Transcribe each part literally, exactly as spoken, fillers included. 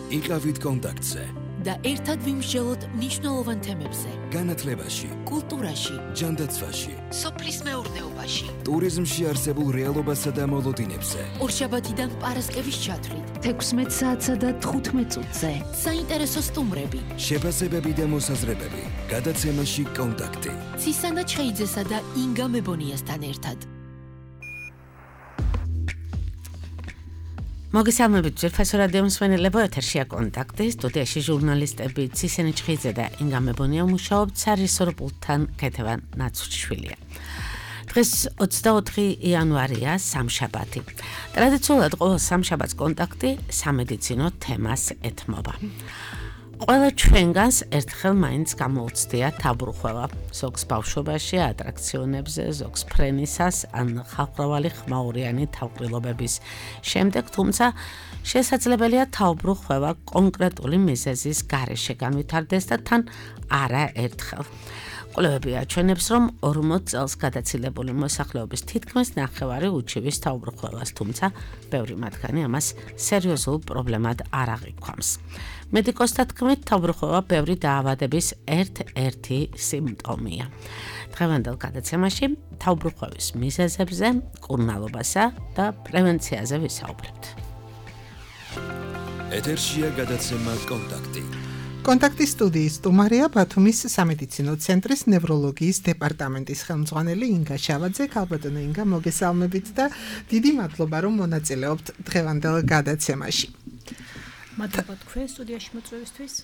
იყავით კონტაქტზე და ერთად ვიმსჯელოთ მნიშვნელოვან თემებზე. განათლებაში, კულტურაში, ჯანდაცვაში, სოფლის მეურნეობაში, ტურიზმში არსებულ რეალობასა და მოლოდინებზე. ორშაბათიდან პარასკევის ჩათვლით, თექვსმეტ საათსა და თხუთმეტ წუთზე. საინტერესო სტუმრები, შეფასებები და მოსაზრებები. გადაცემაში კონტაქტი. ცისანა ჩხეიძესა და ინგა მებონიასთან ერთად. მოგესალმებით ძვირფასო რადიო მსმენელებო, ეთერშია კონტაქტი, სტუდიაში ჟურნალისტები ცისენე ჩხეიძე და ინგა მებონია მუშაობთ, სარისორ პულტთან ქეთევან ნაცუჩიშვილია. დღეს ოცდაოთხი იანვარია, სამშაბათი. ტრადიციულად ყოველ სამშაბათს კონტაქტი სამედიცინო თემას ეთმობა. ყველა ჩვენგანს ერთხელ მაინც გამოუცდია თავბრუხვევა, ზოგს ბავშვობაში ატრაქციონებზე, ზოგს ფრენისას ან ხალხმრავალი ხმაურიანი თავყრილობების შემდეგ, თუმცა შესაძლებელია თავბრუხვევა კონკრეტული მიზეზის გარეშე განვითარდეს და თან არა ერთხელ. კვლევები აჩვენებს, რომ ორმოც წელს გადაცილებული მოსახლეობის თითქმის ნახევარი უჩივის თავბრუხვევას, თუმცა ბევრი მათგანი ამას სერიოზულ პრობლემად არ აღიქვამს. მედიკოსთა თქმით, თავბრუხვევა ბევრი დაავადების ერთ-ერთი სიმპტომია. დღევანდელ გადაცემაში თავბრუხვევის მიზეზებზე, მკურნალობასა და პრევენციაზე ვისაუბრებთ. ეთერშია გადაცემა კონტაქტი. კონტაქტის სტუდიის სტუმარია ბათუმის სამედიცინო ცენტრის ნევროლოგიის დეპარტამენტის ხელმძღვანელი ინგა შავაძე. ქალბატონო ინგა, მოგესალმებით და დიდი მადლობა, რომ მონაწილეობთ დღევანდელ გადაცემაში. მადლობა თქვენ სტუდიაში მოწვევისთვის.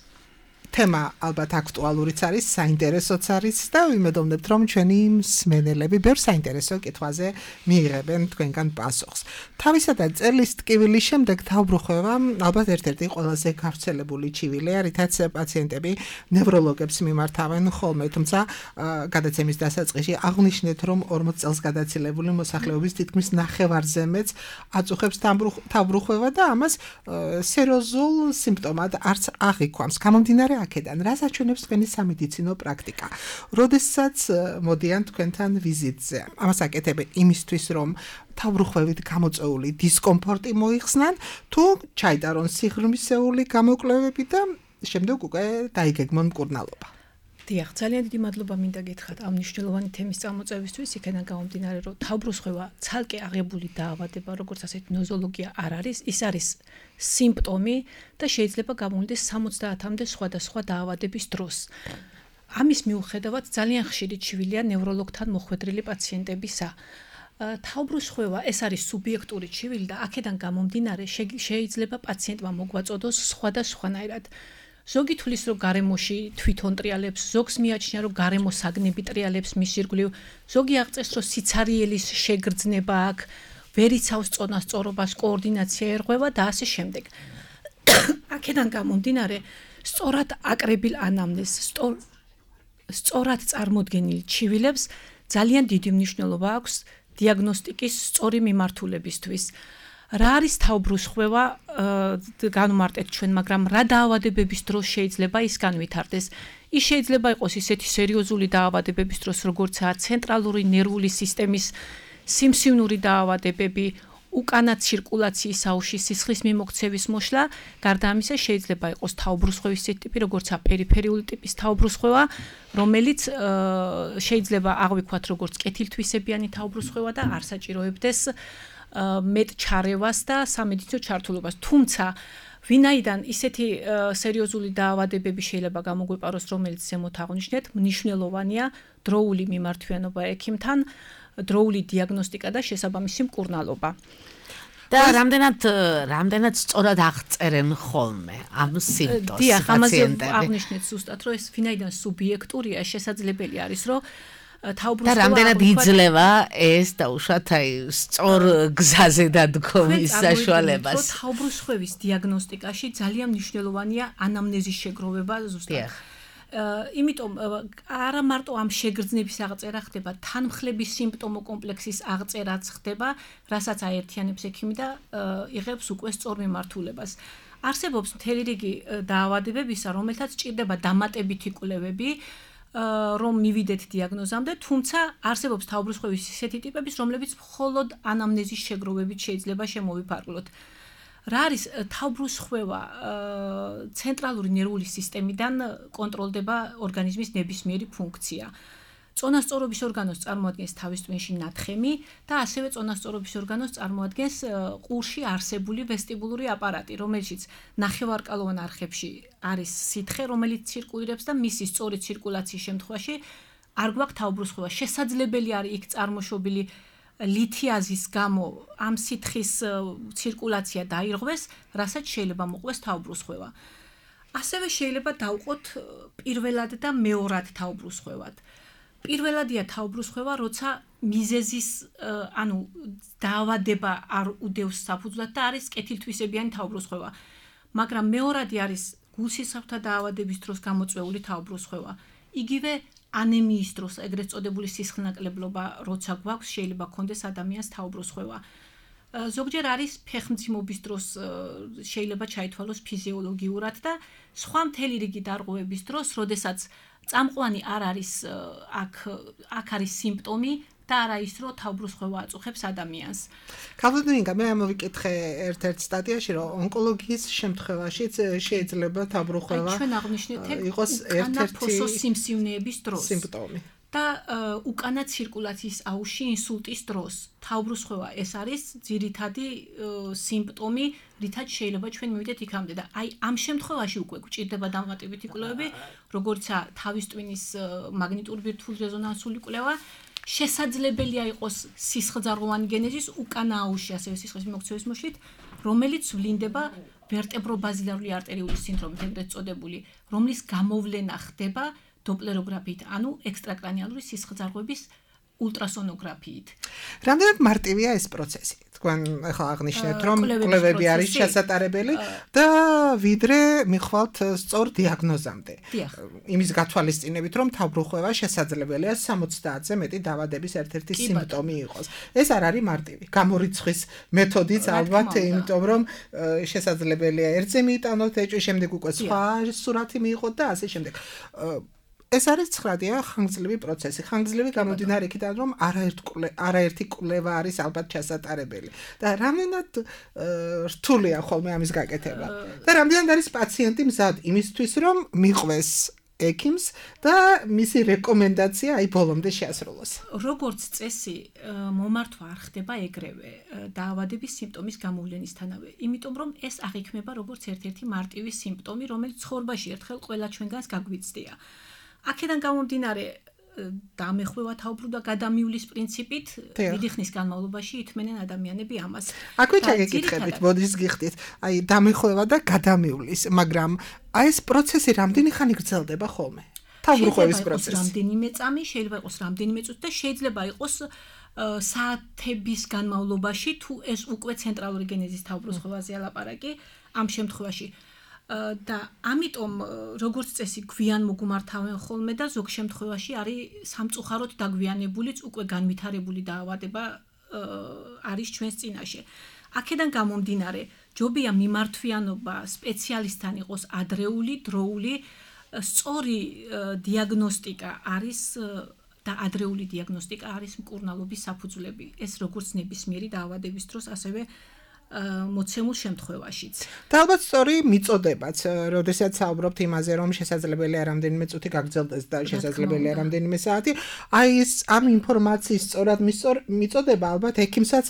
თემა ალბათ აქტუალურიც არის, საინტერესოც არის და ვიმედოვნებთ, რომ ჩვენი მსმენელები ბევრ საინტერესო კითხვაზე მიიღებენ თქვენგან პასუხს. თავისა და წელის ტკივილის შემდეგ თავბრუხვევა ალბათ ერთ-ერთი ყველაზე გავრცელებული ჩივილია, რითაც პაციენტები ნევროლოგებს მიმართავენ ხოლმე, თუმცა გადაცემის დასაწყისში აღვნიშნეთ, რომ ორმოც წელს გადაცილებული მოსახლეობის თითქმის ნახევარზე მეც აწუხებს თავბრუხვევა და ამას სერიოზულ სიმპტომად არც აღიქვამს. გამომდინარე აქედან, რას აჩვენებს თქვენი სამედიცინო პრაქტიკა? როდესაც მოდიან თქვენთან ვიზიტზე, ამას აკეთებენ იმისთვის, რომ თავბრუხვევით გამოწვეული დისკომფორტი მოიხსნან, თუ ჩაიტარონ სიღრმისეული გამოკვლევები და შემდეგ უკვე დაიგეგმონ მკურნალობა. დიახ, ძალიან დიდი მადლობა მინდა გითხრათ ამ მნიშვნელოვანი თემის წამოწევისთვის, იქიდან გამომდინარე, რომ თავბრუსხვევა ცალკე აღებული დაავადება, როგორც ასეთ ნოზოლოგია არ არის, ის არის სიმპტომი და შეიძლება გამოვიდეს სამოცდაათამდე სხვადასხვა დაავადების დროს. ამის მიუხედავად ძალიან ხშირი ჩივილია ნევროლოგთან მოხვედრილი პაციენტებისა. თავბრუსხვევა ეს არის სუბიექტური ჩივილი და აქედან გამომდინარე შეიძლება პაციენტმა მოგვაწოდოს სხვადასხვანაირად. ზოგი თulis რომ გარემოში თვითონ ტრიალებს, ზოგს მიაჩნია რომ გარემო საგნები ტრიალებს მის ირგვლივ, ზოგი აღწევს რომ სიცარიელის შეგრძნება აქვს, ვერ იცავს წონას, სწორობას, კოორდინაცია ერღვევა და ასე შემდეგ. აქედან გამომდინარე, სწორად აკრებილ ანამნეზს, სწორად წარმოდგენილ ჩივილებს ძალიან დიდი მნიშვნელობა აქვს დიაგნოსტიკის სწორი მიმართულებისთვის. რა არის თავბრუსხვევა, განვმარტეთ ჩვენ, მაგრამ რა დაავადებების დროს შეიძლება ის განვითარდეს? ის შეიძლება იყოს ისეთი სერიოზული დაავადებების დროს, როგორცაა ცენტრალური ნერვული სისტემის სიმსივნური დაავადებები, უკანა ცირკულაციის აუში სისხლის მიმოქცევის მოშლა, გარდა ამისა შეიძლება იყოს თავბრუსხვევის ტიპი, როგორცაა პერიფერიული ტიპის თავბრუსხვევა, რომელიც შეიძლება აღვიქვათ როგორც კეთილთვისებიანი თავბრუსხვევა და არ საჭიროებდეს მეტ ჩარევას და სამედიცინო ჩართულობას. თუმცა ვინაიდან ისეთი სერიოზული დაავადებები შეიძლება გამოგვეპაროს, რომელიც ზემოთ აღვნიშნეთ, მნიშვნელოვანია დროული მიმართვიანობა ექიმთან, დროული დიაგნოსტიკა და შესაბამისი მკურნალობა. და რამდენად რამდენად სწორად აღწერენ ხოლმე ამ სიმპტომს დიახ, ამაზე აღვნიშნეთ ზუსტად, რომ ეს ვინაიდან სუბიექტურია, შესაძლებელი არის, რომ და რამდენად იძლევა ეს დაუშვათ აი სწორ გზაზე დადგომის საშუალებას. თავბრუსხვევის დიაგნოსტიკაში ძალიან მნიშვნელოვანია ანამნეზის შეგროვება ზუსტად. იმიტომ არა მარტო ამ შეგრძნების აღწერა ხდება, თანმხლების სიმპტომო კომპლექსის აღწერაც ხდება, რასაც აერთიანებს ექიმი და იღებს უკვე სწორ მიმართულებას. არსებობს მთელი რიგი დაავადებებისა, რომელთაც ჭირდება დამატებითი კვლევები, რომ მივიდეთ დიაგნოზამდე, თუმცა არსებობს თავბრუსხვევის ისეთი ტიპების, რომლებიც მხოლოდ ანამნეზის შეგროვებით შეიძლება შემოვიფარგლოთ. რა არის თავბრუს ხვევა ცენტრალური ნერვული სისტემიდან კონტროლდება ორგანიზმის ნებისმიერი ფუნქცია. წონასწორობის ორგანოს წარმოადგენს თავის ტვინში ნათხემი და ასევე წონასწორობის ორგანოს წარმოადგენს ყურში არსებული ვესტიბულური აპარატი, რომელშიც ნახევარკალოვან არხებში არის სითხე, რომელიც ცირკულირებს და მისი სწორი ცირკულაციის შემთხვევაში არ გვაქვს თავბრუს ხვევა. შესაძლებელი არის იქ წარმოშობილი ლითიაზის გამო ამ სითხის ცირკულაცია დაირღვეს, რასაც შეიძლება მოყვეს თავბრუს ხვევა. ასევე შეიძლება დავყოთ პირველად და მეორად თავბრუს ხვევად. პირველადია თავბრუს ხვევა, როცა მიზეზის ანუ დაავადება არ უდევს საფუძვლად და არის კეთილთვისებიანი თავბრუს ხვევა. მაგრამ მეორადი არის გულსისხლთა დაავადების დროს გამოწვეული თავბრუს ხვევა. იგივე ანემიის დროს, ეგრეთ წოდებული სისხლნაკლებლობა, როცა გვაქვს, შეიძლება გქონდეს ადამიანს თავბრუს ხვევა. ზოგჯერ არის ფეხმძიმობის დროს შეიძლება ჩაითვალოს ფიზიოლოგიურად და სხვა მთელი რიგი დარღვევების დროს, როდესაც წამყვანი არ არის აქ აქ არის სიმპტომი და არა ის რომ თავბრუს ხვევა აწუხებს ადამიანს. ქალბატონინგა მე ამოვიკითხე ერთ-ერთ სტატიაში რომ ონკოლოგიის შემთხვევაშიც შეიძლება თავბრუს ხვევა ჩვენ აღვნიშნეთ იყოს ერთ-ერთი სიმსივნეების დროს სიმპტომი. და უკანა ცირკულაციის აუში ინსულტის დროს თავბრუს ხვევა ეს არის ძირითადი სიმპტომი, რითაც შეიძლება ჩვენ მივიდეთ იქამდე და აი ამ შემთხვევაში უკვე გვჭირდება დამატებითი კვლევები, როგორიცაა თავის ტვინის მაგნიტური ბირთვული რეზონანსული კვლევა, შესაძლებელია იყოს სისხლძარღვოვანი გენეზის უკანა აუში, ასევე სისხლის მიმოქცევის მოშლით, რომელიც ვლინდება ვერტებრობაზილარული არტერიული სინდრომით, ეგრეთ წოდებული, რომლის გამოვლენა ხდება დოპლეროგრაფიით, ანუ ექსტრაკრანიალური სისხლძარღვების ულტრასონოგრაფიით. რამდენად მარტივია ეს პროცესი? თქვენ ახლა აღნიშნეთ, რომ კვლევები არის შესატარებელი და ვიდრე მიხვალთ სწორ დიაგნოზამდე. იმის გათვალისწინებით, რომ თავბრუს ხვევა შესაძლებელია სამოცდაათზე მეტი დაავადების ერთ-ერთი სიმპტომი იყოს. ეს არ არის მარტივი. გამორიცხვის მეთოდიც ალბათ, იმიტომ რომ შესაძლებელია ერთზე მიიტანოთ ეჭვი, შემდეგ უკვე სხვა სურათი მიიღოთ და ასე შემდეგ. ეს არის ცხრადია ხანგრძლივი პროცესი. ხანგრძლივი გამომდინარე იქიდან, რომ არაერთი კვლევა არის ალბათ ჩასატარებელი. და რამდენად რთულია ხოლმე ამის გაკეთება. და რამდენად არის პაციენტი მზად იმისთვის, რომ მიყვეს ექიმს და მისი რეკომენდაცია აი ბოლომდე შეასრულოს. როგორც წესი, მომართვა არ ხდება ეგრევე დაავადების სიმპტომის გამოვლენისთანავე, იმიტომ რომ ეს აღიქმება როგორც ერთ-ერთი მარტივი სიმპტომი, რომელიც ცხოვრებაში ერთხელ ყველა ჩვენგანს გაგვიცდია. აქედან გამომდინარე დამეხვევა თავბრუ და გადამივლის პრინციპით დიდი ხნის განმავლობაში ითმენენ ადამიანები ამას. აქვე ჩაგეკითხებით, მოდის გიხდით, აი დამეხვევა და გადამივლის, მაგრამ აი ეს პროცესი რამდენი ხანი გრძელდება ხოლმე? თავბრუ ხვევის პროცესი. რამდენიმე წამი, შეიძლება იყოს რამდენიმე წუთი და შეიძლება იყოს საათების განმავლობაში, თუ ეს უკვე ცენტრალური გენეზის თავბრუს ხვევაზეა ლაპარაკი, ამ შემთხვევაში და ამიტომ როგორც წესი გვიან მოგუმართავენ ხოლმე და ზოგ შემთხვევაში არის სამწუხაროდ დაგვიანებულიც უკვე განვითარებული დაავადება არის ჩვენს წინაშე. აქედან გამომდინარე, ჯობია მიმართვიანობა სპეციალისტთან იყოს ადრეული, დროული, სწორი დიაგნოსტიკა არის და ადრეული დიაგნოსტიკა არის მკურნალობის საფუძვლები. ეს როგორც ნებისმიერი დაავადების დროს, ასევე მოცემულ შემთხვევაშიც. და ალბათ სწორი მიწოდებაც, როდესაც საუბრობთ იმაზე, რომ შესაძლებელია რამდენიმე წუთი გაგრძელდეს და შესაძლებელია რამდენიმე საათი, აი ეს ამ ინფორმაციის სწორად მიწოდება ალბათ ექიმსაც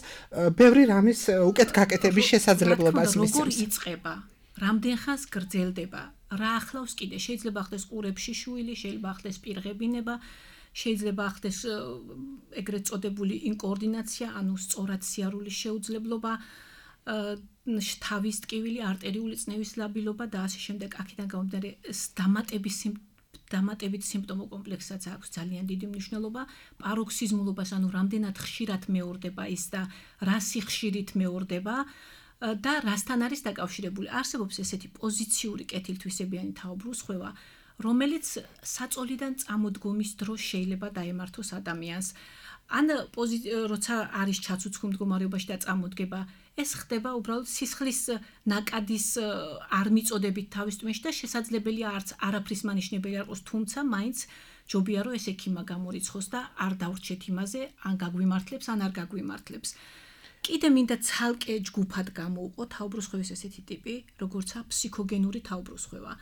ბევრი რამის უკეთ გაკეთების შესაძლებლობას მისცემს. როგორ იწყება? რამდენ ხანს გრძელდება? რა ახლავს კიდე? შეიძლება ახდეს ყურებში შუილი, შეიძლება ახდეს პირღებინება, შეიძლება ახდეს ეგრეთ წოდებული ინკოორდინაცია, ანუ სწორად სიარულის შეუძლებლობა, თავის ტკივილი, არტერიული წნევის ლაბილობა და ასე შემდეგ. აქედან გამომდინარე დამატების დამატებით სიმპტომო კომპლექსსაც აქვს ძალიან დიდი მნიშვნელობა, პაროქსიზმულობას, ანუ რამდენად ხშირად მეორდება ის და რა სიხშირით მეორდება და რასთან არის დაკავშირებული. არსებობს ესეთი პოზიციური კეთილთვისებიანი თავბრუს ხვევა, რომელიც საწოლიდან წამოდგომის დროს შეიძლება დაემართოს ადამიანს. ან როცა არის ჩაცუცქულ მდგომარეობაში და წამოდგება, ეს ხდება უბრალოდ სისხლის ნაკადის არ მიწოდებით თავის ტვინში და შესაძლებელია არც არაფრის მანიშნებელი არ იყოს, თუმცა მაინც ჯობია რომ ეს ექიმმა გამორიცხოს და არ დავრჩეთ იმაზე, ან გაგვიმართლებს, ან არ გაგვიმართლებს. კიდე მინდა ცალკე ჯგუფად გამოვყო თავბრუსხვევის ესეთი ტიპი, როგორცაა ფსიქოგენური თავბრუსხვევა.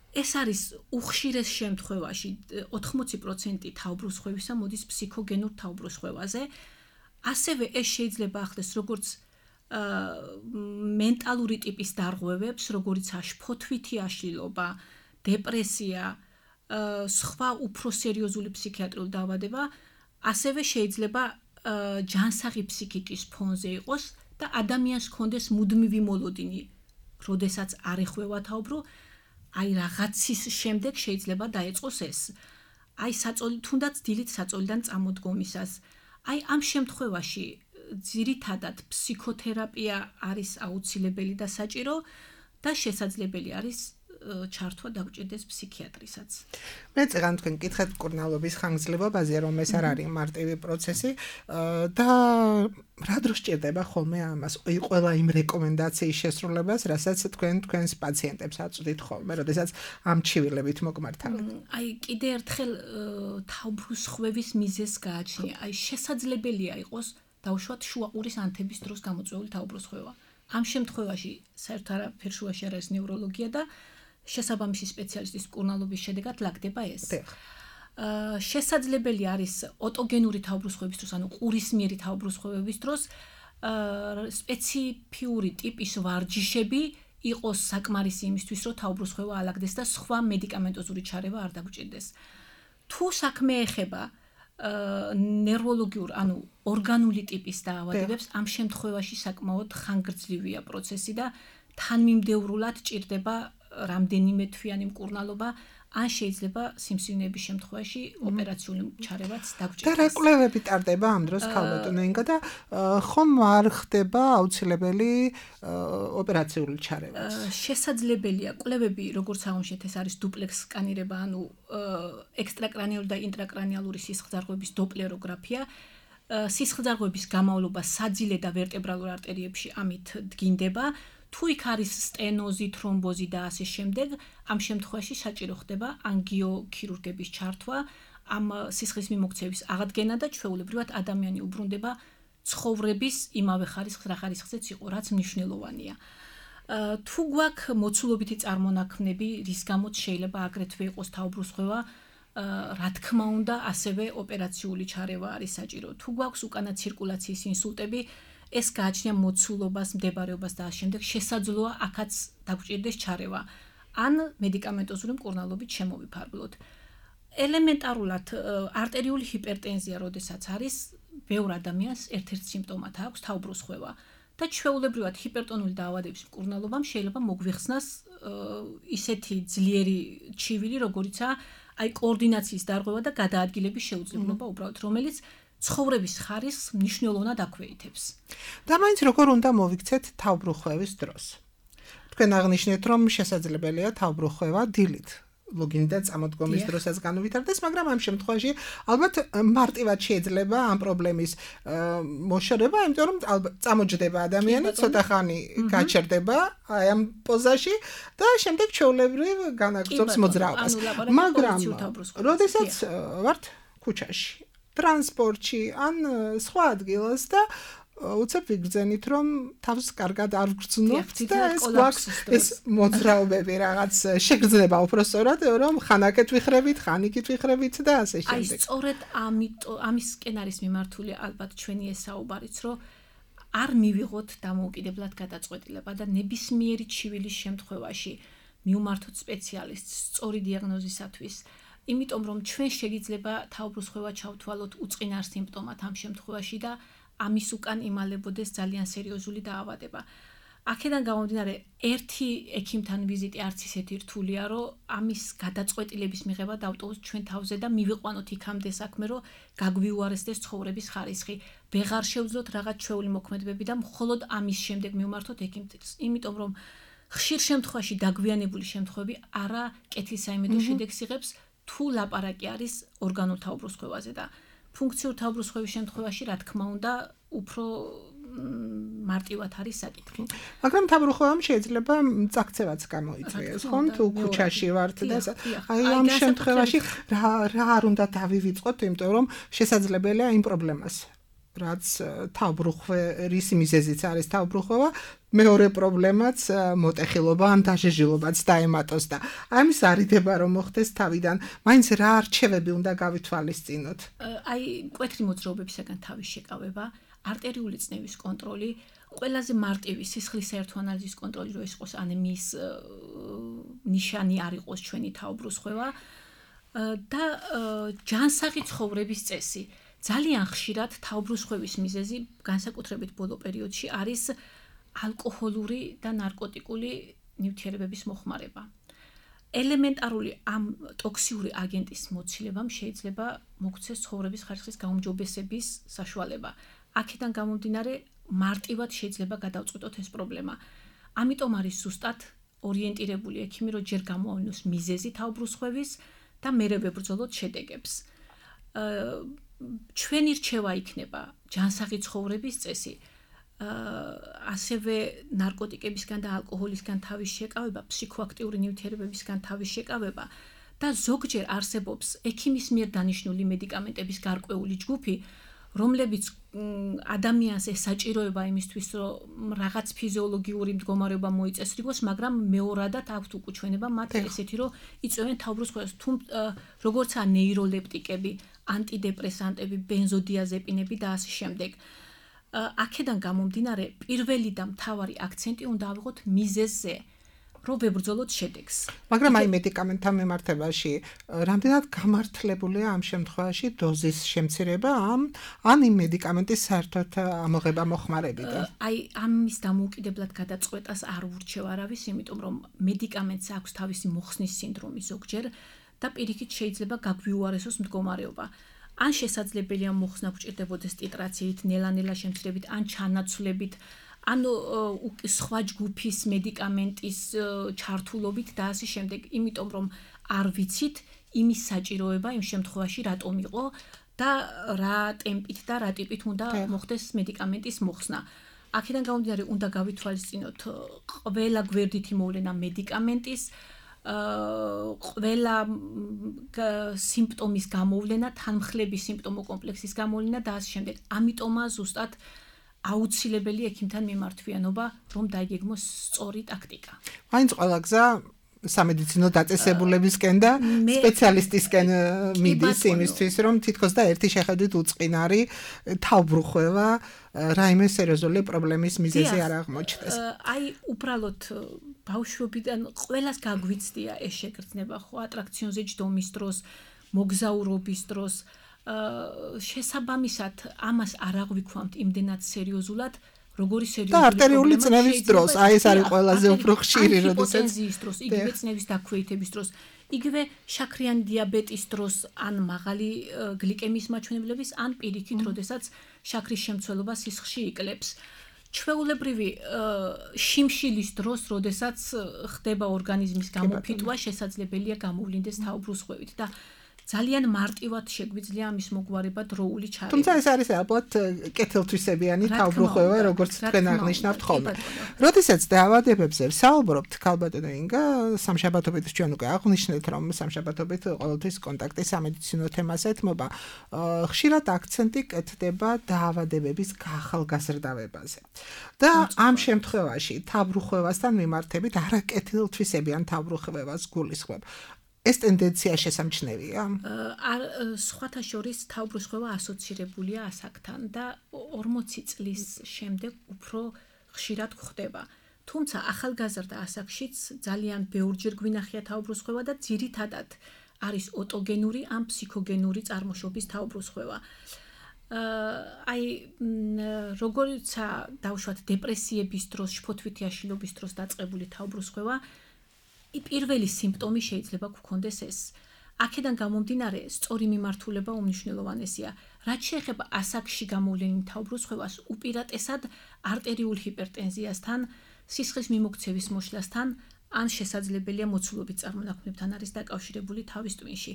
ეს არის უხშირეს შემთხვევაში ოთხმოცი პროცენტი თავბრუსხვევისა მოდის ფსიქოგენურ თავბრუსხვევაზე. ასევე ეს შეიძლება ახდეს როგორც მენტალური ტიპის დარღვევებს, როგორიცაა შფოთვითი აშლილობა, დეპრესია, სხვა უფრო სერიოზული ფსიქიატრიული დაავადება, ასევე შეიძლება ჯანსაღი ფსიქიკის ფონზე იყოს და ადამიანს ჰქონდეს მუდმივი მოლოდინი, როდესაც არ ეხვევა თავბრო, აი რაღაცის შემდეგ შეიძლება დაეწყოს ეს. აი საწოლი თუნდაც დილით საწოლიდან წამოდგომისას. აი ამ შემთხვევაში ძირითადად ფსიქოთერაპია არის აუცილებელი და საჭირო და შესაძლებელი არის ჩართვა დაგვჭირდეს ფსიქიატრისაც. მე წეგან თქვენ კითხეთ მკურნალობის ხანგრძლივობაზე, რომ ეს არ არის მარტივი პროცესი და რა დროს სჭირდება ხოლმე ამას ყველა იმ რეკომენდაციის შესრულებას, რასაც თქვენ თქვენს პაციენტებს აწვდით ხოლმე, როდესაც ამ ჩივილებით მოგმართავთ. აი კიდე ერთხელ თავბრუსხვევის მიზეზს გააჩნია. აი შესაძლებელია იყოს დაუშვათ შუაყურის ანთების დროს გამოწვეული თავბრუსხვევა. ამ შემთხვევაში საერთოდ არაფერ შუაში არ არის ნევროლოგია და შესაბამისი სპეციალისტის მკურნალობის შედეგად ლაგდება ეს. შესაძლებელი არის ოტოგენური თავბრუსხვევის დროს, ანუ ყურისმიერი თავბრუსხვევების დროს სპეციფიური ტიპის ვარჯიშები იყოს საკმარისი იმისთვის, რომ თავბრუსხვევა ალაგდეს და სხვა მედიკამენტოზური ჩარევა არ დაგვჭირდეს. თუ საქმე ეხება ნევროლოგიურ, ანუ ორგანული ტიპის დაავადებებს, ამ შემთხვევაში საკმაოდ ხანგრძლივია პროცესი და თანმიმდევრულად ჭირდება რამდენიმე თვიანი მკურნალობა, ან შეიძლება სიმსივნეების შემთხვევაში ოპერაციული ჩარევაც დაგვჭირდეს. და რა კვლევები ტარდება ამ დროს ქალბატონო ინგა და ხომ არ ხდება აუცილებელი ოპერაციული ჩარევა? შესაძლებელია კვლევები, როგორც აღმოჩნდეთ, ეს არის დუპლექს სკანირება, ანუ ექსტრაკრანიული და ინტრაკრანიალური სისხლძარღვების დოპლეროგრაფია. სისხლძარღვების გამავლობა საძილე და ვერტებრალურ არტერიებში ამით დგინდება. თუ იქ არის სტენოზი, თრომბოზი და ასე შემდეგ, ამ შემთხვევაში საჭირო ხდება ანგიოქირურგების ჩართვა, ამ სისხლის მიმოქცევის აღდგენა და ჩვეულებრივად ადამიანი უბრუნდება ცხოვრების იმავე ხარისხს, რა ხარისხზეც იყო, რაც მნიშვნელოვანია. თუ გვაქვს მოცულობითი წარმონაქმნები, რის გამოც შეიძლება აგრეთვე იყოს თავბრუსხვევა, რა თქმა უნდა, ასევე ოპერაციული ჩარევა არის საჭირო. თუ გვაქვს უკანა ცირკულაციის ინსულტები, ეს გააჩნია მოცულობას, მდებარეობას და ამ შემდეგ შესაძლოა აქაც დაგვჭირდეს ჩარევა. ან მედიკამენტოზური მკურნალობით შემოვიფარგლოთ. ელემენტარულად არტერიული ჰიპერტენზია, როდესაც არის, ბევრ ადამიანს ერთ-ერთ სიმპტომად აქვს თავბრუსხვევა და ჩვეულებრივად ჰიპერტონული დაავადების მკურნალობამ შეიძლება მოგვიხსნას ისეთი ძლიერი ჩივილი, როგორიცაა აი კოორდინაციის დარღვევა და გადაადგილების შეუძლებლობა უბრალოდ, რომელიც ცხოვრების ხარისხს მნიშვნელოვნად აქვეითებს. და მაინც როგორ უნდა მოვიქცეთ თავბრუსხვევის დროს? თქვენ აღნიშნეთ, რომ შესაძლებელია თავბრუსხვევა დილით, ლოგინიდან წამოდგომის დროსაც განუვითარდეს, მაგრამ ამ შემთხვევაში ალბათ მარტივად შეიძლება ამ პრობლემის მოშორება, იმიტომ რომ ალბათ წამოჯდება ადამიანი, ცოტა ხანი გაჩერდება აი ამ პოზაში და შემდეგ ჩვეულებრივ განაგრძობს მოძრაობას. მაგრამ როდესაც ვართ ქუჩაში, ტრანსპორტში ან სხვა ადგილას და უცებ ვიგრძენით, რომ თავს კარგად არ ვგრძნობთ და ეს გვაქვს ეს მოძრაობები რაღაც შეგრძნება უფრო სწორად, რომ ხანაკეთ ვიხრებით, ხანიკით ვიხრებით და ასე შემდეგ. აი სწორედ ამისკენ არის მიმართული ალბათ ჩვენი ეს საუბარიც, რომ არ მივიღოთ დამოუკიდებლად გადაწყვეტილება და ნებისმიერი ჩივილის შემთხვევაში მივმართოთ სპეციალისტს სწორი დიაგნოზისათვის. იმიტომ რომ ჩვენ შეიძლება თავბრუსხვევა ჩავთვალოთ უწყინარ სიმპტომად ამ შემთხვევაში და ამის უკან იმალებოდეს ძალიან სერიოზული დაავადება. აქედან გამომდინარე, ერთი ექიმთან ვიზიტი არც ისეთი რთულია, რომ ამის გადაწყვეტილების მიღება დავტოვოთ ჩვენ თავზე და მივიყვანოთ იქამდე საქმე, რომ გაგვიუარესდეს ცხოვრების ხარისხი. ვეღარ შევძლოთ რაღაც ჩვეული მოქმედებები და მხოლოდ ამის შემდეგ მივმართოთ ექიმს. იმიტომ რომ ხშირ შემთხვევაში დაგვიანებული შემთხვევები არა კეთილსაიმედო შედეგს იღებს, თუ ლაპარაკი არის ორგანულ თავბრუსხვევაზე და ფუნქციურ თავბრუსხვევის შემთხვევაში, რა თქმა უნდა, უფრო მარტივად არის საკითხი. მაგრამ თავბრუსხვევამ შეიძლება წაქცევაც გამოიწვიოს, ხომ? თუ ქუჩაში ვართ და აი ამ შემთხვევაში რა რა არ უნდა დავივიწყოთ, იმიტომ რომ შესაძლებელია იმ პრობლემას რაც თავბრუხვის მიზეზიც არის თავბრუხობა, მეორე პრობლემაც მოტეხილობა ან დაშეშილობაც დაემატოს და ამის არიდება რომ მოხდეს თავიდან, მაინც რა არჩევები უნდა გავითვალისწინოთ? აი, მკვეთრი მოძრაობებისაგან თავის შეკავება, არტერიული წნევის კონტროლი, ყველაზე მარტივი სისხლის საერთო ანალიზის კონტროლი რო იყოს ანემიის ნიშანი არ იყოს ჩვენი თავბრუსხვევა და ჯანსაღი ცხოვრების წესი. ძალიან ხშირად თავბრუსხვევის მიზეზი განსაკუთრებით ბოლო პერიოდში არის ალკოჰოლური და ნარკოტიკული ნივთიერებების მოხმარება. ელემენტარული ამ ტოქსიური აგენტის მოცილებამ შეიძლება მოგვცეს ცხოვრების ხარისხის გაუმჯობესების საშუალება. აქედან გამომდინარე მარტივად შეიძლება გადავწყვეტოთ ეს პრობლემა. ამიტომ არის ზუსტად ორიენტირებული ექიმი, რომ ჯერ გამოავნოს მიზეზი თავბრუსხვევის და მერე ვებრძოლოთ შედეგებს. ჩვენი რჩევა იქნება ჯანსაღი ცხოვრების წესი, ასევე ნარკოტიკებისგან და ალკოჰოლისგან თავის შეკავება, ფსიქოაქტიური ნივთიერებებისგან თავის შეკავება და ზოგჯერ არსებობს ექიმის მიერ დანიშნული მედიკამენტების გარკვეული ჯგუფი, რომლებიც ადამიანს ესაჭიროება იმისთვის, რომ რაღაც ფიზიოლოგიური მდგომარეობა მოიწესრიგოს, მაგრამ მეორადად აქვთ უკუჩვენება მათ ესეთი, რომ იწვევენ თავბრუსხვევას, როგორცაა ნეიროლეპტიკები, ანტიდეპრესანტები, ბენზოდიაზეპინები და ასე შემდეგ. აქედან გამომდინარე, პირველი და მთავარი აქცენტი უნდა ავიღოთ მიზეზზე, რომ ვებრძოლოთ შედეგს. მაგრამ აი მედიკამენტთან მიმართებაში, რამდენად გამართლებულია ამ შემთხვევაში დოზის შემცირება ამ ან იმ მედიკამენტის საერთოდ ამოღება მოხმარებიდან? აი ამის დამოუკიდებლად გადაწყვეტას არ ურჩევ არავის, იმიტომ რომ მედიკამენტს აქვს თავისი მოხსნის სინდრომი ზოგჯერ და პირიქით შეიძლება გაგვიუარესოს მდგომარეობა. ან შესაძლებელია მოხსნა გვჭირდებოდეს ტიტრაციით, ნელა-ნელა შემცირებით, ან ჩანაცვლებით, ან სხვა ჯგუფის მედიკამენტის ჩართულობით და ასე შემდეგ, იმიტომ რომ არ ვიცით იმის საჭიროება იმ შემთხვევაში რატომ იყო და რა ტემპით და რა ტიპით უნდა მოხდეს მედიკამენტის მოხსნა. აქედან გამომდინარე, უნდა გავითვალისწინოთ ყველა გვერდითი მოვლენა მედიკამენტის, ყველა სიმპტომის გამოვლენა, თანმხლების სიმპტომო კომპლექსის გამოვლენა და ასე შემდეგ. ამიტომაა ზუსტად აუცილებელი ექიმთან მიმართვიანობა, რომ დაიგეგმოს სწორი ტაქტიკა. მაინც ყველა გზა სამედიცინო დაწესებულებისკენ და სპეციალისტისკენ მიდის იმისთვის, რომ თითქოს და ერთი შეხედვით უწყინარი თავბრუხვევა რაიმე სერიოზული პრობლემის მიზეზი არ აღმოჩნდეს. აი, უბრალოდ ბავშვობიდან ყველას გაგვიცდია ეს შეგრძნება, ხო, ატრაქციონზე ჯდომის დროს, მოგზაურობის დროს, შესაბამისად ამას არ აღვიქვამთ იმდენად სერიოზულად, როგორი სერიოზული და არტერიული წნევის დროს, აი ეს არის ყველაზე უფრო ხშირი, როდესაც ჰიპოტენზიის დროს, იგივე წნევის დაქვეითების დროს, იგივე შაქრიანი დიაბეტის დროს, ან მაღალი გლიკემიის მაჩვენებლების, ან პირიქით, როდესაც შაქრის შემცველობა სისხლში იკლებს. ჩვეულებრივი შიმშილის დროს, როდესაც ხდება ორგანიზმის გამოფიტვა, შესაძლებელია გამოვლინდეს თავბრუსხვევით და ძალიან მარტივად შეგვიძლია ამის მოგვარება დროული ჩარევა. თუმცა ეს არის ალბათ კეთილთვისებიანი თავბრუხვევა, როგორც თქვენ აღნიშნავთ ხოლმე. როდესაც დაავადებებზე ვსაუბრობთ, ქალბატონო ინგა, სამშაბათობით ჩვენ უკვე აღნიშნეთ, რომ სამშაბათობით ყოველთვის კონტაქტი სამედიცინო თემას ეთმობა. ხშირად აქცენტი კეთდება დაავადებების გახალგაზრდავებაზე. და ამ შემთხვევაში თავბრუხვევასთან მიმართებით არაკეთილთვისებიან თავბრუხვევას გულისხმობ. ეს ტენდენცია შესამჩნევია? არ სხვათა შორის თავბრუსხვევა ასოცირებულია ასაკთან და ორმოცი წლის შემდეგ უფრო ხშირად გვხდება. თუმცა ახალგაზრდა ასაკშიც ძალიან ბევრჯერ გვინახია თავბრუსხვევა და ძირითადად არის ოტოგენური ან ფსიქოგენური წარმოშობის თავბრუსხვევა. აი როგორცა დავშვათ დეპრესიების დროს, შფოთვითი აშლილობის დროს დაწყებული თავბრუსხვევა, პირველი სიმპტომი შეიძლება გქონდეს ეს. აქედან გამომდინარე, სწორი მიმართულება უმნიშვნელოვანესია. რაც შეეხება ასაკში გამოვლენილ თავბრუსხვევას, უპირატესად არტერიულ ჰიპერტენზიასთან, სისხლის მიმოქცევის მოშლასთან, ან შესაძლებელია მოცულობით წარმონაქმნებთან არის დაკავშირებული თავის ტვინში.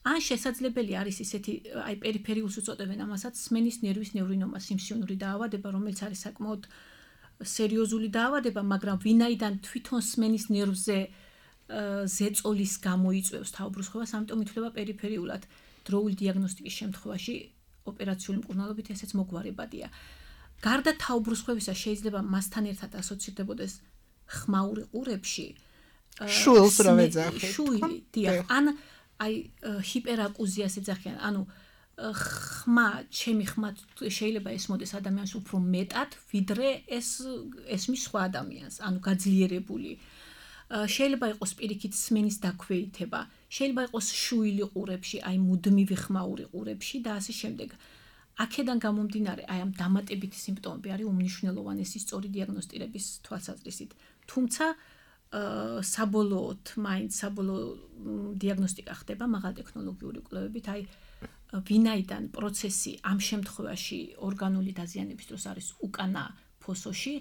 ან შესაძლებელი არის ისეთი, აი პერიფერიულს უწოდებენ ამასაც, სმენის ნერვის ნევრინომა, სიმსივნური დაავადება, რომელიც არის საკმაოდ სერიოზული დაავადება, მაგრამ ვინაიდან თვითონ სმენის ნერვზე ზეწოლის გამოიწვევს თავბრუსხვევას, ამიტომ ითვლება პერიფერიულად. დროული დიაგნოსტიკის შემთხვევაში ოპერაციული მკურნალობით ესეც მოგვარებადია. გარდა თაუბრუსხვევისა შეიძლება მასთან ერთად ასოცირდებოდეს ხმაური ყურებში შულს რა ვეძახით. შული, დიახ, ან აი ჰიპერაკუზიას ეძახიან, ანუ ხმა, ჩემი ხმა შეიძლება ესმოდეს ადამიანს უფრო მეტად, ვიდრე ეს ესმის სხვა ადამიანს, ანუ გაძლიერებული. შეიძლება იყოს პირიქით სმენის დაქვეითება, შეიძლება იყოს შუილი ყურებში, აი მუდმივი ხმაური ყურებში და ასე შემდეგ. აქედან გამომდინარე, აი ამ დამატებითი სიმპტომები არის უმნიშვნელოვანესი სწორი დიაგნოსტირების თვალსაზრისით. თუმცა საბოლოოდ, მაინც საბოლოო დიაგნოსტიკა ხდება მაღალტექნოლოგიური კვლევებით, აი ვინაიდან პროცესი ამ შემთხვევაში ორგანული დაზიანების დროს არის უკანა ფოსოში,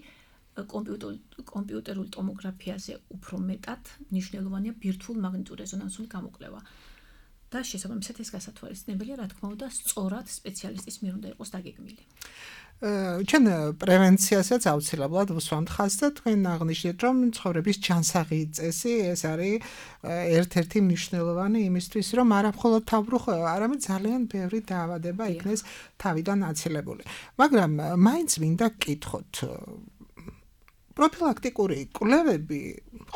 კომპიუტერულ ტომოგრაფიაზე უფრო მეტად მნიშვნელოვანია ბირთვულ მაგნიტურ რეზონანსული გამოკვლევა. და შესაბამისად ეს გასათვალისწინებელია, რა თქმა უნდა, სწორად სპეციალისტის მიერ უნდა იყოს დაგეგმილი. ჩვენ პრევენციასაც აუცილებლად ვუსვამთ ხაზს და თქვენ აღნიშნეთ, რომ ცხოვრების ჯანსაღი წესი ეს არის ერთ-ერთი მნიშვნელოვანი იმისთვის, რომ არა მხოლოდ თავბრუხვევა, არამედ ძალიან ბევრი დაავადება იქნეს თავიდან აცილებული. მაგრამ მაინც მინდა გკითხოთ, პროფილაქტიკური კვლევები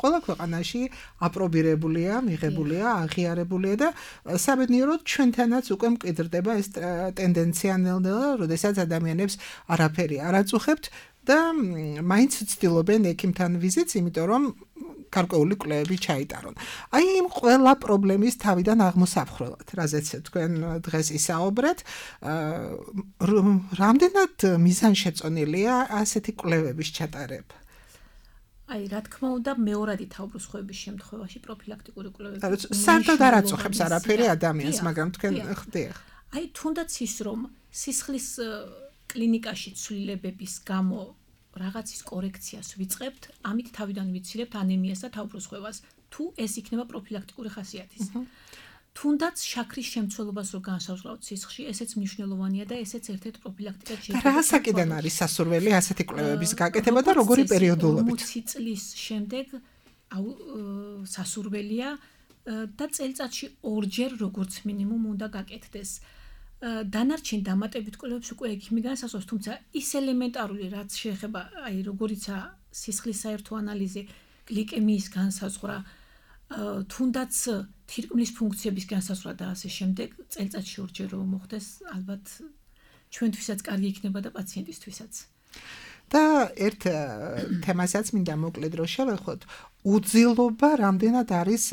ყველა ქვეყანაში აპრობირებულია, მიღებულია, აღიარებულია და საბედნიეროდ ჩვენთანაც უკვე მკვიდრდება ეს ტენდენცია ნელ-ნელა, როდესაც ადამიანებს არაფერი არ აწუხებთ და მაინც ცდილობენ ექიმთან ვიზიტს, იმიტომ რომ გარკვეული კვლევები ჩაიტარონ. აი იმ ყველა პრობლემის თავიდან აღმოსაფხრელად, რაზეც თქვენ დღეს ისაუბრეთ, რამდენად მიზანშეწონილია ასეთი კვლევების ჩატარება? აი, რა თქმა უნდა, მეორადი თაუბრუსხვევების შემთხვევაში პროფილაქტიკური კვლევები საერთოდ არ აწუხებს არაფერი ადამიანს, მაგრამ თქვენ ხდიახ. აი, თუნდაც ის, რომ სისხლის კლინიკაში ცვლილებების გამო რაღაცის კორექციას ვიწყებთ, ამით თავიდან ვიცილებთ ანემიას და თაუბრუსხვევას, თუ ეს იქნება პროფილაქტიკური ხასიათის. თუნდაც შაქრის შემცველობას რო განსაზღვრავთ სისხლში, ესეც მნიშვნელოვანია და ესეც ერთ-ერთ პროფილაქტიკად შეიძლება. რა საკიდან არის სასურველი ასეთი კვლევების გაკეთება და როგორი პერიოდულობით? ორმოცი წლის შემდეგ სასურველია და წელიწადში ორჯერ როგორც მინიმუმ უნდა გაკეთდეს. დანარჩენ დამატებით კვლევებს უკვე ექიმი განსაზღვრავს, თუმცა ის ელემენტარული რაც შეეხება, აი როგორიცაა სისხლის საერთო ანალიზი, გლიკემიის განსაზღვრა, თუნდაც თირკმლის ფუნქციების განსაზღვრა და ასე შემდეგ, წელიწადში ორჯერ რომ მოხდეს, ალბათ ჩვენთვისაც კარგი იქნება და პაციენტისთვისაც. და ერთ თემასაც მინდა მოკლედ რომ შევეხოთ, უძილობა რამდენად არის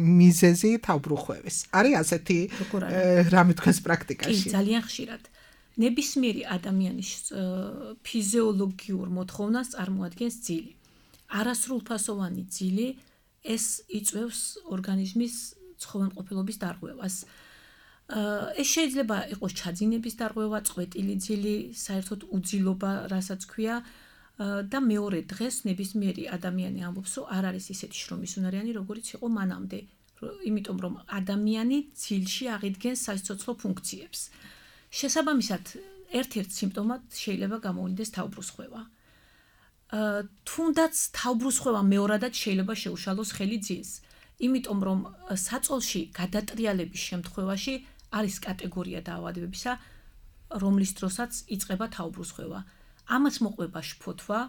მიზეზი თავბრუხვევის. არის ასეთი რამე თქვენს პრაქტიკაში? კი, ძალიან ხშირად. ნებისმიერი ადამიანის ფიზიოლოგიურ მოთხოვნას წარმოადგენს ძილი. არასრულფასოვანი ძილი ეს იწვევს ორგანიზმის ცხოველმყოფელობის დარღვევას. ეს შეიძლება იყოს ჩაძინების დარღვევა, წყვეტილი ძილი, საერთოდ უძილობა, რასაც ქვია და მეორე დღეს ნებისმიერი ადამიანი ამბობს, რომ არ არის ისეთი შრომის უნარიანი, როგორიც იყო მანამდე, იმიტომ რომ ადამიანი ძილში აღიდგენს სასიცოცხლო ფუნქციებს. შესაბამისად, ერთ-ერთ სიმპტომად შეიძლება გამოვლინდეს თავბრუსხვევა. თუნდაც თავბრუსხვევა მეორადად შეიძლება შეუშალოს ხელი ძილს, იმიტომ რომ საწოლში გადატრიალების შემთხვევაში არის კატეგორია დაავადებებისა, რომლის დროსაც იწყება თავბრუსხვევა. ამას მოყვება შფოთვა,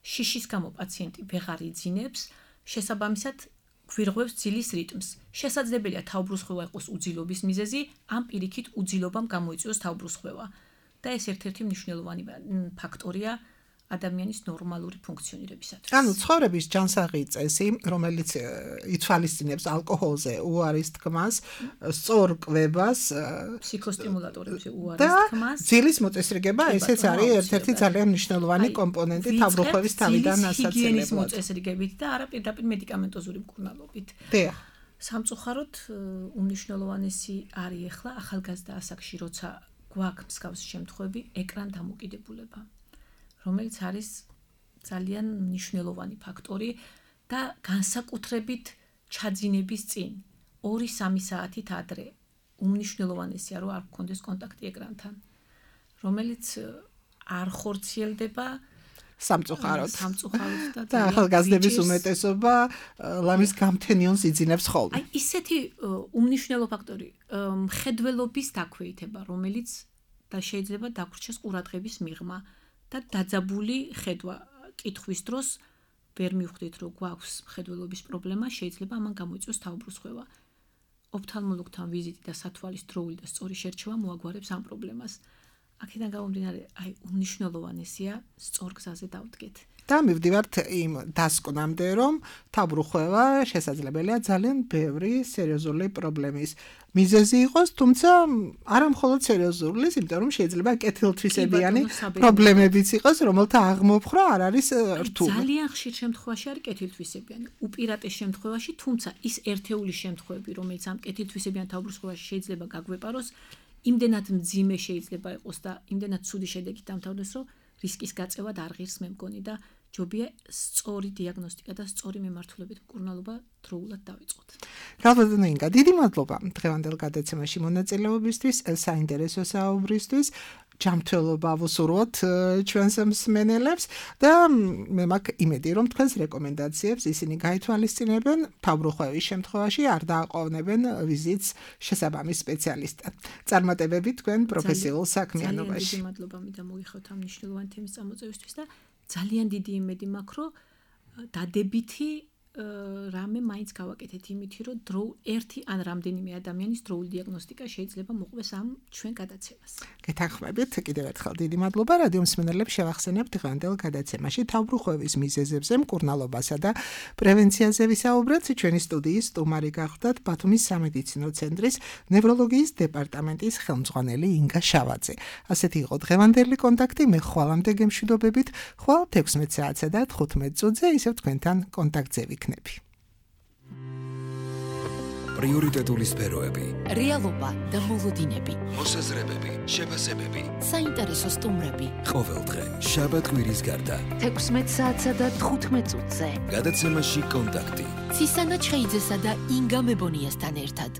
შიშის გამო პაციენტი ვეღარ იძინებს, შესაბამისად გვირღვევს ძილის რიტმს. შესაძლებელია თავბრუსხვევა იყოს უძილობის მიზეზი, ამ პირიქით უძილობამ გამოიწვიოს თავბრუსხვევა. და ეს ერთ-ერთი მნიშვნელოვანი ფაქტორია ადამიანის ნორმალური ფუნქციონირებისათვის. ანუ ცხოვრების ჯანსაღი წესი, რომელიც ითვალისწინებს ალკოჰოლზე უარის თქმას, სწორ კვებას, ფსიქოსტიმულატორებზე უარის თქმას. და ძილის მოწესრიგება, ესეც არის ერთ-ერთი ძალიან მნიშვნელოვანი კომპონენტი თავბრუხვევის თავიდან ასაცილებლად. ჰიგიენის მოწესრიგებით და არა პირდაპირ მედიკამენტოზური მკურნალობით. დიახ. სამწუხაროდ უმნიშვნელოვანესი არის ახლა ახალგაზრდა ასაკში, როცა გვაქვს მსგავსი შემთხვევები, ეკრან დამოკიდებულება, რომელიც არის ძალიან მნიშვნელოვანი ფაქტორი და განსაკუთრებით ჩაძინების წინ ორი სამი საათით ადრე უმნიშვნელოვანესია რომ არ გქონდეს კონტაქტი ეკრანთან, რომელიც არ ხორციელდება სამწუხაროდ. სამწუხაროდ და ახალგაზრდების უმეტესობა ლამის გამთენიონს იძინებს ხოლმე. აი ისეთი უმნიშვნელო ფაქტორი მხედველობის დაქვეითება, რომელიც და შეიძლება დაგვრჩეს ყურადღების მიღმა და დაძაბული ხედვა კითხვის დროს ვერ მივხვდით რომ გვაქვს მხედველობის პრობლემა, შეიძლება ამან გამოიწვიოს თავბრუსხვევა. ოფთალმოლოგთან ვიზიტი და სათვალის დროული და სწორი შერჩევა მოაგვარებს ამ პრობლემას. აქედან გამომდინარე, აი უმნიშვნელოვანესია სწორ გზაზე დავდგეთ. და მივდივართ იმ დასკვნამდე, რომ თავბრუხვევა შესაძლებელია ძალიან ბევრი სერიოზული პრობლემის მიზეზი იყოს, თუმცა არა მხოლოდ სერიოზული, იმიტომ რომ შეიძლება კეთილთვისებიანი პრობლემებიც იყოს, რომელთა აღმოფხვრა არ არის რთული. ძალიან ხშირ შემთხვევაში არის კეთილთვისებიანი, უპირატეს შემთხვევაში, თუმცა ის ერთეული შემთხვევები, რომელიც ამ კეთილთვისებიან თავბრუსხვევაში შეიძლება გაგვეპაროს, იმდენად მძიმე შეიძლება იყოს და იმდენად ცუდი შედეგით დამთავრდეს, რომ რისკის გაწევა არ ღირს მე მგონი და ჯობია სწორი დიაგნოსტიკა და სწორი მემართულებით მკურნალობა დროულად დავიწყოთ. გალბატონო ინგა, დიდი მადლობა დღევანდელ გადაცემაში მონაწილეობისთვის, საინტერესო საუბრისთვის. ჯანმრთელობა ვუსურვოთ ჩვენს მსმენელებს და მე მაქვს იმედი, რომ თქვენს რეკომენდაციებს ისინი გაითვალისწინებენ, თავბრუხვევის შემთხვევაში არ დააყოვნებენ ვიზიტს შესაბამის სპეციალისტთან. წარმატებები თქვენ პროფესიულ საქმიანობაში. ძალიან დიდი მადლობა მინდა მოგიხოთ ამ მნიშვნელოვანი თემის წამოწევისთვის და ძალიან დიდი იმედი მაქვს, რომ დადებითი რამე მაინც გავაკეთეთ იმითი, რომ დრო ერთი ან რამდენიმე ადამიანის დროული დიაგნოსტიკა შეიძლება მოყვეს ამ ჩვენ გადაცემას. გეთანხმებით, კიდევ ერთხელ დიდი მადლობა. რადიო მსმენელებს შევახსენებთ დღევანდელ გადაცემაში თავბრუხვევის მიზეზებზე, მკურნალობასა და პრევენციაზე ვისაუბრეთ. ჩვენი სტუდიის სტუმარი გახლდათ ბათუმის სამედიცინო ცენტრის ნევროლოგიის დეპარტამენტის ხელმძღვანელი ინგა შავაძე. ასეთი იყო დღევანდელი კონტაქტი. მე ხვალამდე გემშვიდობებით. ხვალ თექვსმეტ საათსა და თხუთმეტ წუთზე ისევ თქვენთან კონტაქტზე ვიქნები. პრიორიტეტული სფეროები, რეალობა და მოლოდინები, მოსაზრებები, შეფასებები, საინტერესო სტუმრები. ყოველდღე შაბათ-კვირის გარდა თექვსმეტ საათსა და თხუთმეტ წუთზე გადაცემაში კონტაქტი. ცისანა ჩხეიძესა და ინგა მებონიასთან ერთად.